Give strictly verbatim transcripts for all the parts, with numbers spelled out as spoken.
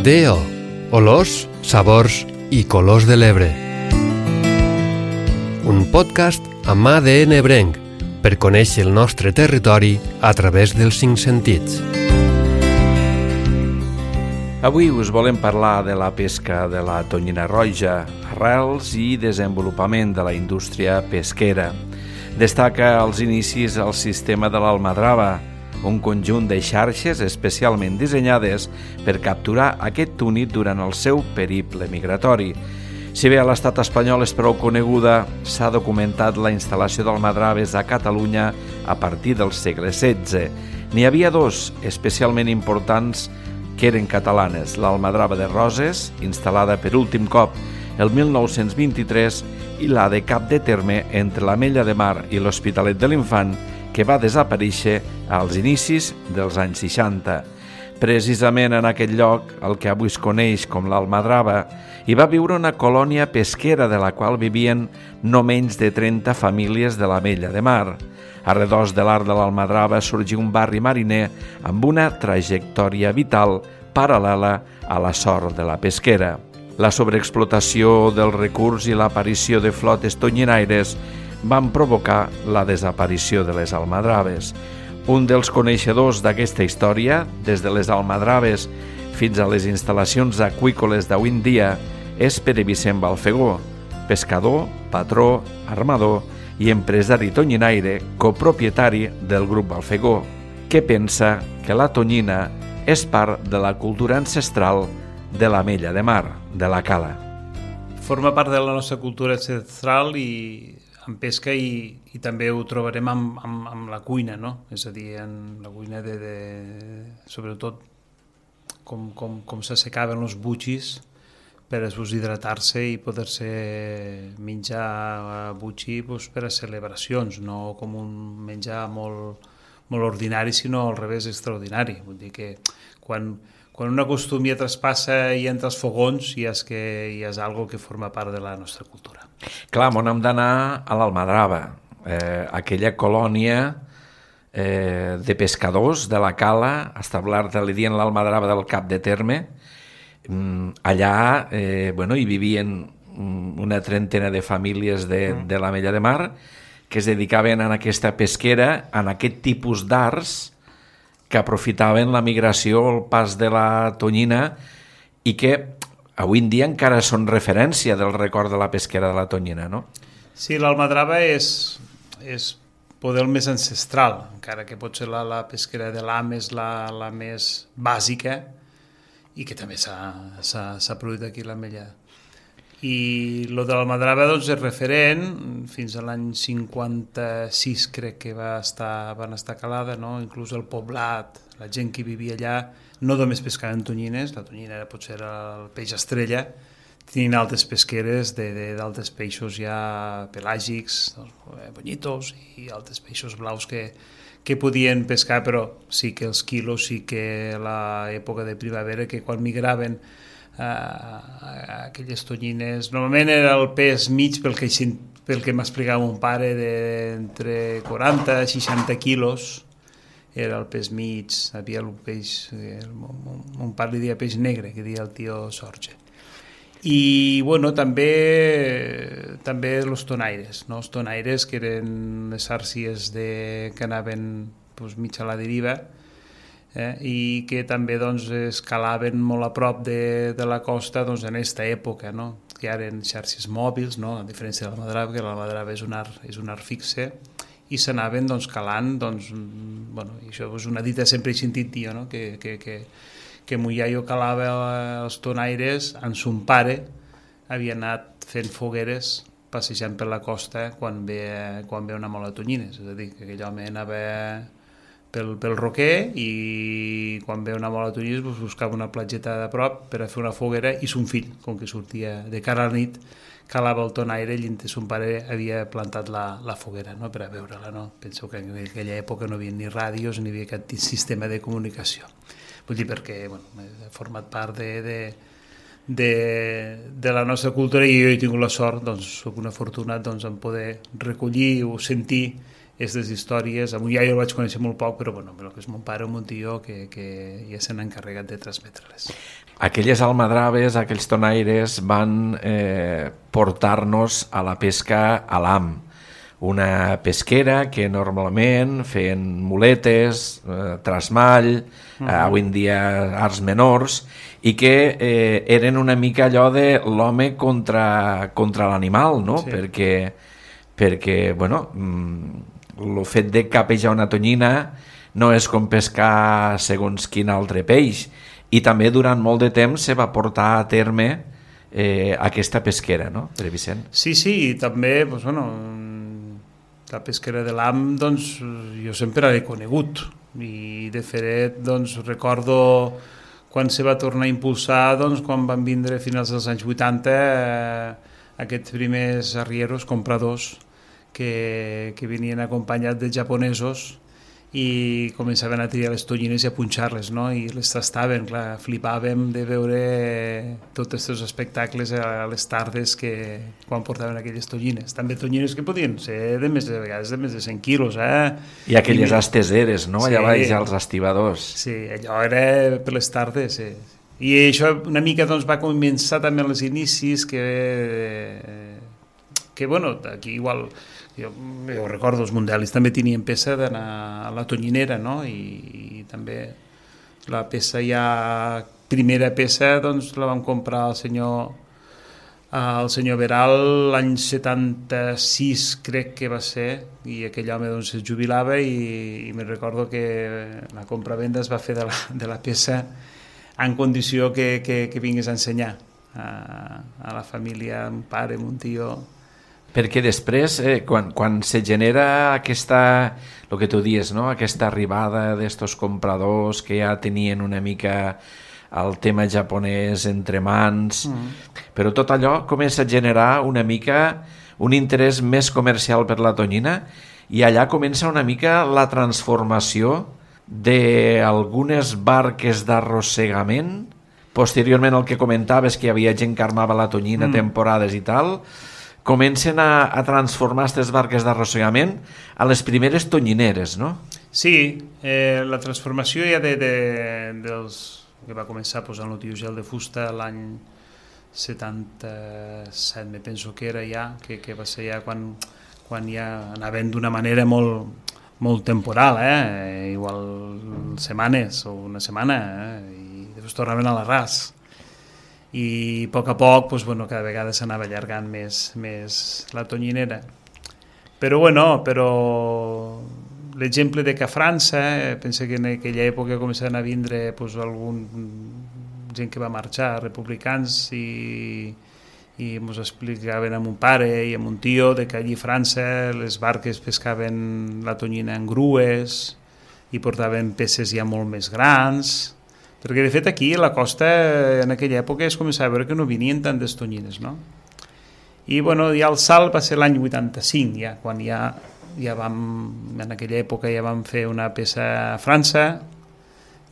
D O. Olors, sabors i colors de l'Ebre. Un podcast amb A D N ebrenc per conèixer el nostre territori a través dels cinc sentits. Avui us volem parlar de la pesca de la tonyina roja, arrels i desenvolupament de la indústria pesquera. Destaca als inicis el sistema de l'almadrava, un conjunt de xarxes especialment dissenyades per capturar aquest túnid durant el seu periple migratori. Si bé a l'estat espanyol és prou coneguda, s'ha documentat la instal·lació d'almadraves a Catalunya a partir del segle setze. N'hi havia dos especialment importants que eren catalanes, l'almadrava de Roses, instal·lada per últim cop el mil nou-cents vint-i-tres, i la de Cap de Terme entre l'Ametlla de Mar i l'Hospitalet de l'Infant, que va desaparèixer als inicis dels anys seixanta. Precisament en aquest lloc, el que avui es coneix com l'Almadrava, hi va viure una colònia pesquera de la qual vivien no menys de trenta famílies de l'Ametlla de Mar. A redós de l'Arc de l'Almadrava sorgí un barri mariner amb una trajectòria vital paral·lela a la sort de la pesquera. La sobreexplotació del recurs i l'aparició de flotes tonyinaires van provocar la desaparició de les almadraves. Un dels coneixedors d'aquesta història, des de les almadraves fins a les instal·lacions aqüícoles d'avui en dia, és Pere Vicent Balfegó, pescador, patró, armador i empresari tonyinaire, copropietari del grup Balfegó, que pensa que la tonyina és part de la cultura ancestral de l'Ametlla de Mar, de la cala. Forma part de la nostra cultura ancestral i en pesca i, i també ho trobarem amb, amb, amb la cuina, no? És a dir, en la cuina de, de sobretot com, com, com s'assecaven els butxis per a hidratar-se i poder-se menjar butxi doncs, per a celebracions, no com un menjar molt, molt ordinari, sinó al revés, extraordinari. Vull dir que quan, quan una costum ja traspassa i entra als fogons ja és, que, ja és algo que forma part de la nostra cultura. Clar, on hem d'anar a l'Almadrava, eh, aquella colònia eh, de pescadors de la cala, establerta, li diuen l'Almadrava del Cap de Terme. Mm, allà eh, bueno, hi vivien una trentena de famílies de, de l'Ametlla de Mar que es dedicaven a aquesta pesquera, en aquest tipus d'arts que aprofitaven la migració, el pas de la tonyina i que avui en dia encara són referència del record de la pesquera de la tonyina, no? Sí, l'almadrava és, és poder el més ancestral, encara que potser la, la pesquera de l'Am és la, la més bàsica i que també s'ha produït aquí a l'Ametlla. I el de l'almadrava doncs, és referent, fins a l'any cinquanta-sis crec que va estar, van estar calada, no? Inclús el poblat, la gent que vivia allà, no només pescaven tonyines, la tonyina era potser el peix estrella, tenien altres pesqueres d'altres peixos ja pelàgics, doncs, bonyitos i altres peixos blaus que, que podien pescar, però sí que els quilos, sí que a l'època de primavera, que quan migraven uh, aquelles tonyines, normalment era el pes mig pel que, pel que m'explicava mon pare, d'entre quaranta i seixanta quilos, era el peix mig, havia el peix, mon pare li deia peix negre, que deia el tio Sorge. I, bueno, també també els tonaires, no? Els tonaires, que eren les àrcies de, que anaven doncs, mig a la deriva, eh? I que també doncs, escalaven molt a prop de, de la costa doncs, en aquesta època, no? Que eren xarxes mòbils, no? A diferència de l'almadrava, que l'almadrava és un art, és un art fixe, i s'anaven doncs, calant, doncs, bueno, i això és una dita sempre he sentit dir, no? que, que, que, que mon iaio calava els tonaires, en son pare havia anat fent fogueres passejant per la costa quan ve, quan ve una mola de tonyines, és a dir, que aquell home anava pel, pel roquer i quan ve una mola de tonyines doncs, buscava una platgeta de prop per a fer una foguera i son fill, com que sortia de cara a la nit, calava el tonaire i son pare havia plantat la, la foguera, no?, per a veure-la. No? Penso que en aquella època no hi havia ni ràdios ni hi havia cap sistema de comunicació. Vull dir, perquè bueno, he format part de, de, de, de la nostra cultura i jo he tingut la sort, doncs, soc una afortunat doncs, en poder recollir o sentir aquestes històries. A mon iaio el vaig conèixer molt poc, però bueno, el que és mon pare o mon tio que, que ja s'han encarregat de transmetre-les. Aquelles almadraves, aquells tonaires van eh, portar-nos a la pesca a l'am, una pesquera que normalment feien muletes, eh, trasmall, uh-huh. eh, avui en dia arts menors, i que eh, eren una mica allò de l'home contra, contra l'animal, no? Sí. Perquè, perquè, bueno, el fet de capejar una tonyina no és com pescar segons quin altre peix, i també durant molt de temps se va portar a terme eh, aquesta pesquera, no, Pere Vicent? Sí, sí, i també, doncs, bueno, la pesquera de l'am, doncs, jo sempre l'he conegut, i de fet, doncs, recordo quan se va tornar a impulsar, doncs, quan van vindre a finals dels anys vuitanta eh, aquests primers arrieros, compradors, que, que venien acompanyats de japonesos, i començaven a triar les tonyines i a punxar-les, no? I les tastaven, clar, flipàvem de veure tots aquests espectacles a les tardes que, quan portaven aquelles tonyines. També tonyines que podien ser de més de vegades de més de cent quilos, eh? I aquelles I, esteseres, no? Sí, allà baix als estibadors. Sí, allò era per les tardes, sí. I això una mica doncs, va començar també als inicis que, que bueno, aquí igual... Jo, jo recordo, els mundialis també tenien peça d'anar a la tonyinera, no? I, i també la peça ja, primera peça, doncs la vam comprar al senyor, al senyor Veral l'any setanta-sis, crec que va ser, i aquell home doncs es jubilava i, i me recordo que la compra-venda es va fer de la, de la peça en condició que, que, que vingués a ensenyar a, a la família, un pare, un tio... Perquè després, eh, quan, quan se genera aquesta, el que tu dius, no? Aquesta arribada d'estos compradors que ja tenien una mica el tema japonès entre mans, mm. però tot allò comença a generar una mica un interès més comercial per la tonyina i allà comença una mica la transformació d'algunes barques d'arrossegament. Posteriorment el que comentaves, que hi havia gent que armava la tonyina, mm. temporades i tal... comencen a, a transformar aquestes barques d'arrossegament a les primeres tonyineres, no? Sí, eh, la transformació ja de, de, dels, que va començar posant el tio gel de fusta l'any setanta-set, me penso que era ja, que, que va ser ja quan, quan ja anaven d'una manera molt, molt temporal, eh? Igual setmanes o una setmana, eh? I després tornaven a l'arràs. I a poc a poc doncs, bueno, cada vegada s'anava allargant més, més la tonyinera. Però bueno, però l'exemple de que a França, eh, penso que en aquella època començaven a vindre doncs, algun gent que va marxar, republicans, i, i ens explicaven a mon pare i a mon tio de que allí a França les barques pescaven la tonyina en grues i portaven peces ja molt més grans. Perquè, de fet, aquí, a la costa, en aquella època, es començava a veure que no venien tantes tonyines, no? I, bueno, ja el salt va ser l'any vuitanta-cinc, ja, quan ja, ja vam, en aquella època ja vam fer una peça a França,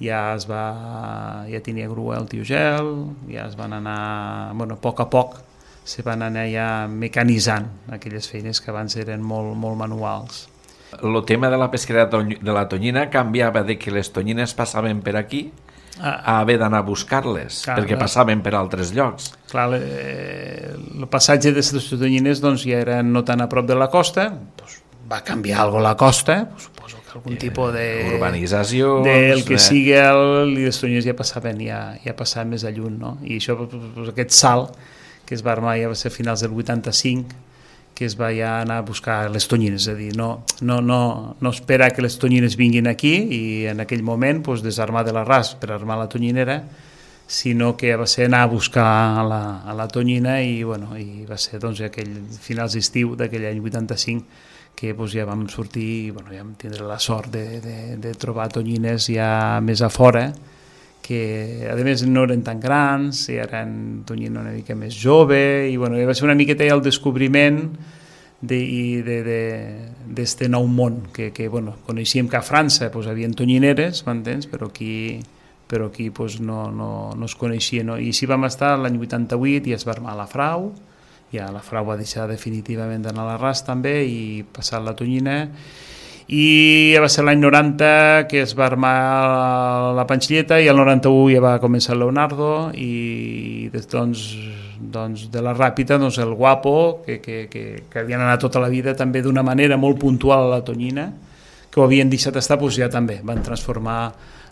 ja es va, ja tenia grua el tio gel, ja es van anar, bueno, a poc a poc, se van anar ja mecanitzant aquelles feines que abans eren molt, molt manuals. El tema de la pesquera de la tonyina canviava de que les tonyines passaven per aquí a haver d'anar a buscar-les, clar, perquè clar. Passaven per altres llocs. Clar, eh, el passatge de les tonyines doncs, ja era no tan a prop de la costa, doncs, va canviar alguna la costa, pues, suposo que algun eh, tipus de... urbanització... del que eh. sigui, el, i les tonyines ja passaven, ja, ja passaven més a lluny, no? I això, pues, aquest salt que es va armar ja va ser a finals del vuitanta-cinc, que es va ja anar a buscar les tonyines, és a dir, no, no, no, no esperar que les tonyines vinguin aquí i en aquell moment pues, desarmar de l'arràs per armar la tonyinera, sinó que va ser anar a buscar a la, a la tonyina i, bueno, i va ser doncs, aquell finals d'estiu d'aquell any vuitanta-cinc que doncs, ja vam sortir i bueno, ja vam tindre la sort de, de, de trobar tonyines ja més a fora, que a més no eren tan grans, i eren tonyina una mica més jove, i bueno, va ser una miqueta el descobriment d'este de, de, de nou món, que, que bueno, coneixíem que a França pues, havia tonyineres, m'entens? Però aquí, però aquí pues, no, no, no es coneixia. No? I així vam estar l'any vuitanta-vuit i es va armar la frau, ja la frau va deixar definitivament d'anar a l'arràs també i passar la tonyina, i ja va ser l'any noranta que es va armar la Panxilleta, i el noranta-u ja va començar el Leonardo, i des, doncs, doncs de la Ràpita doncs el Guapo, que, que, que, que havien anat tota la vida també d'una manera molt puntual a la Tonyina, que ho havien deixat estar, doncs ja també van transformar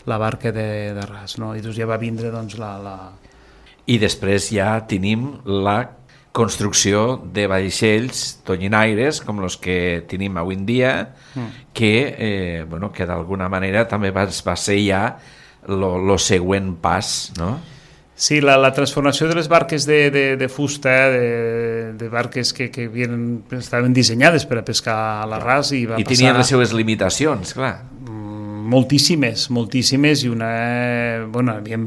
la barca de, de ras, no? I doncs ja va vindre doncs la... la... I després ja tenim la construcció de vaixells tonyinaires com els que tenim avui en dia, mm. que, eh, bueno, que d'alguna manera també va, va ser ja el següent pas, no? Sí, la, la transformació de les barques de, de, de fusta, de, de barques que, que havien, estaven dissenyades per a pescar a l'arràs i va I passar... tenien les seves limitacions, clar. Moltíssimes, moltíssimes, i una... Bueno, havíem...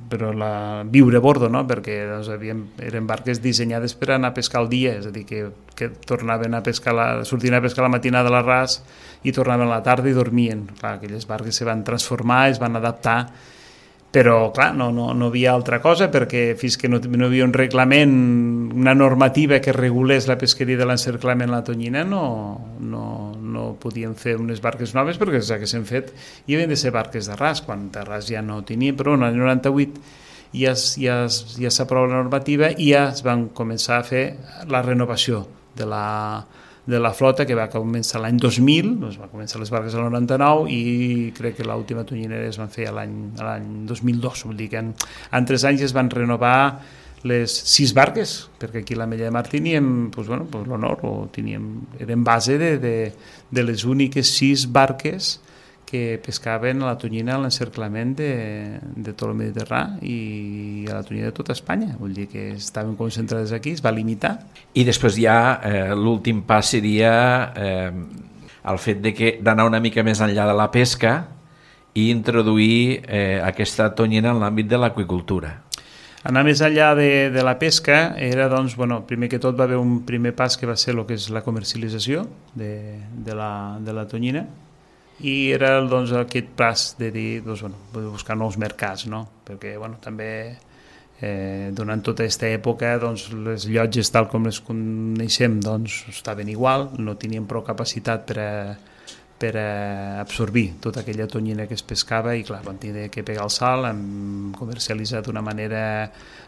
però la viure a bordo, no? Perquè doncs, havíem, eren barques dissenyades per anar a pescar al dia, és a dir, que, que tornaven a pescar, la, sortien a pescar la matinada a l'arràs i tornaven a la tarda i dormien. Clar, aquelles barques se van transformar, es van adaptar, però clar, no, no, no havia altra cosa, perquè fins que no, no havia un reglament, una normativa que regulés la pesqueria de l'encerclament a la Tonyina, no, no, no podien fer unes barques noves, perquè ja que s'han fet i havien de ser barques d'arràs, quan d'arràs ja no tenien, però en el noranta-vuit ja, ja, ja s'aprova la normativa i ja es van començar a fer la renovació de la, de la flota, que va començar l'any dos mil, doncs va començar les barques al noranta-nou i crec que l'última tonyinera es van fer l'any dos mil dos, vol dir que en, en tres anys es van renovar les sis barques, perquè aquí a l'Ametlla de Mar teníem pues, bueno, pues l'honor, o teníem, eren base de, de, de les úniques sis barques que pescaven a la tonyina a l'encerclament de, de tot el Mediterrani i a la tonyina de tota Espanya, vull dir que estaven concentrades aquí, es va limitar. I després ja eh, l'últim pas seria eh, el fet de que d'anar una mica més enllà de la pesca i introduir eh, aquesta tonyina en l'àmbit de l'aqüicultura. Anar més enllà de, de la pesca era, doncs, bueno, primer que tot va haver un primer pas que va ser el que és la comercialització de, de, la, de la tonyina, i era doncs, aquest pas de dir, doncs, bueno, buscar nous mercats, no? Perquè bueno, també eh, durant tota aquesta època doncs, les llotges tal com les coneixem doncs, estaven igual, no tenien prou capacitat per a, per a absorbir tota aquella tonyina que es pescava i clar, van tenir que pegar el salt, hem comercialitzat d'una manera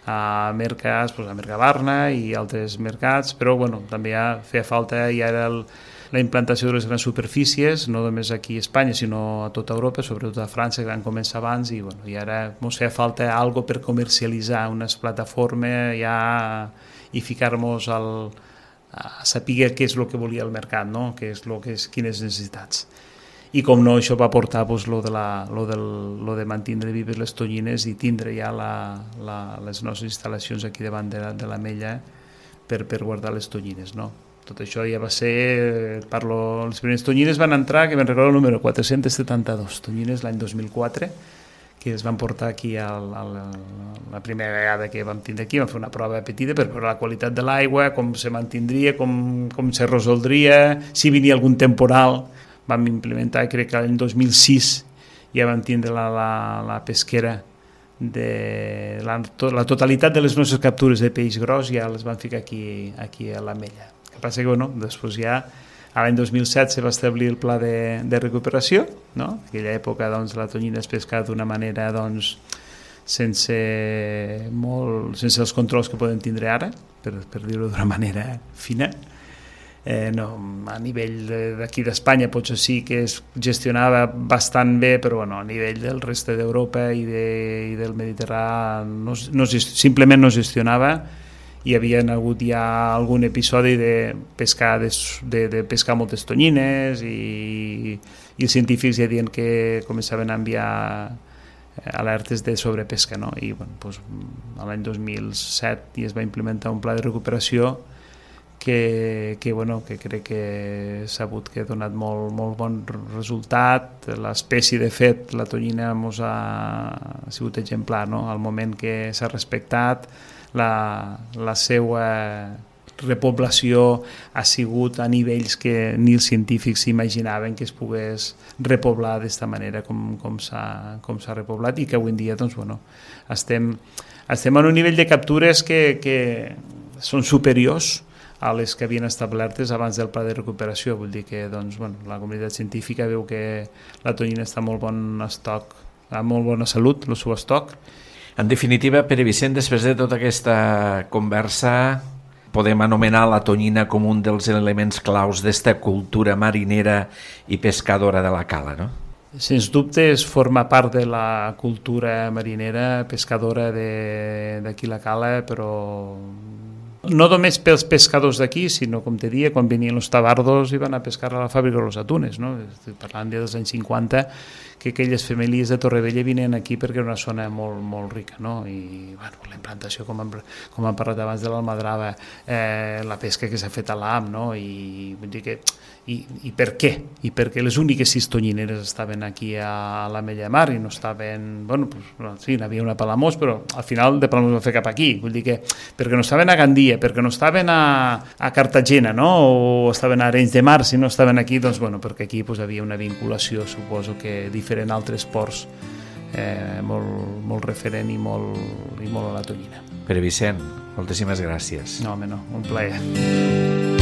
a mercats, doncs, a Mercabarna i altres mercats, però bueno, també ja feia falta, ja era el la implantació de les grans superfícies, no només aquí a Espanya, sinó a tota Europa, sobretot a França, que van començar abans, i, bueno, i ara ens feia falta algo per comercialitzar, unes plataformes ja, i ficar-nos al, a saber què és el que volia el mercat, no? Què és lo que és, quines necessitats. I com no, això va portar pues, lo de, la, lo del, lo de mantenir vives les tonyines i tindre ja la, la, les nostres instal·lacions aquí davant de, de l'Ametlla per, per guardar les tonyines, no? Tot això ja va ser, parlo, les primeres tonyines van entrar, que me'n recordo el número quatre-cents setanta-dos, tonyines l'any dos mil quatre, que es van portar aquí al, al, la primera vegada que vam tindre aquí, vam fer una prova petita per veure la qualitat de l'aigua, com se mantindria, com, com se resoldria, si venia algun temporal. Vam implementar, crec que l'any dos mil sis ja vam tindre la, la, la pesquera de la, to, la totalitat de les nostres captures de peix gros ja les van ficar aquí, aquí a l'Ametlla. El que passa que, bueno, després ja, a l'any dos mil set se va establir el pla de, de recuperació, no? En aquella època, doncs, la tonyina es pescava d'una manera, doncs, sense, molt, sense els controls que podem tindre ara, per, per dir-ho d'una manera fina. Eh, no, a nivell d'aquí d'Espanya potser sí que es gestionava bastant bé, però bueno, a nivell del reste d'Europa i, de, i del Mediterrani no, no, simplement no gestionava. Hi havia hagut ja algun episodi de pescar, de, de, de pescar moltes tonyines i, i els científics ja diuen que començaven a enviar alertes de sobrepesca, no? I bueno, doncs, l'any dos mil set ja es va implementar un pla de recuperació que, que, bueno, que crec que s'ha sabut que ha donat molt, molt bon resultat. L'espècie, de fet, la tonyina mos ha, ha sigut exemplar, no? Al moment que s'ha respectat, la, la seva repoblació ha sigut a nivells que ni els científics s'imaginaven que es pogués repoblar d'esta manera com, com s'ha com s'ha repoblat i que avui en dia doncs, bueno, estem, estem en un nivell de captures que, que són superiors a les que havien establertes abans del pla de recuperació. Vull dir que doncs, bueno, la comunitat científica veu que la tonyina està en molt bon estoc, amb molt bona salut, el seu estoc. En definitiva, Pere Vicent, després de tota aquesta conversa, podem anomenar la tonyina com un dels elements claus d'esta cultura marinera i pescadora de la cala, no? Sens dubte, forma part de la cultura marinera, pescadora d'aquí la cala, però no només pels pescadors d'aquí, sinó, com te dia, quan venien els tabardos i van a pescar a la fàbrica de los atunes, no? Estic parlant dels anys cinquanta, que aquelles famílies de Torrevella venien aquí perquè era una zona molt, molt rica, no? I bueno, la implantació, com hem, com hem parlat abans de l'Almadrava, eh, la pesca que s'ha fet a l'Am, no? I vull dir que I, i per què? I perquè les úniques sis tonyineres estaven aquí a la Mella de Mar i no estaven, bueno, pues, sí, n'hi havia una a Palamós, però al final de Palamós va fer cap aquí, vull dir que perquè no estaven a Gandia, perquè no estaven a, a Cartagena, no? O estaven a Arenys de Mar, si no estaven aquí, doncs bueno, perquè aquí pues, havia una vinculació, suposo que diferent a altres ports, eh, molt, molt referent i molt, i molt a la tonyina. Pere Vicent, moltíssimes gràcies. No, home, no, un plaer.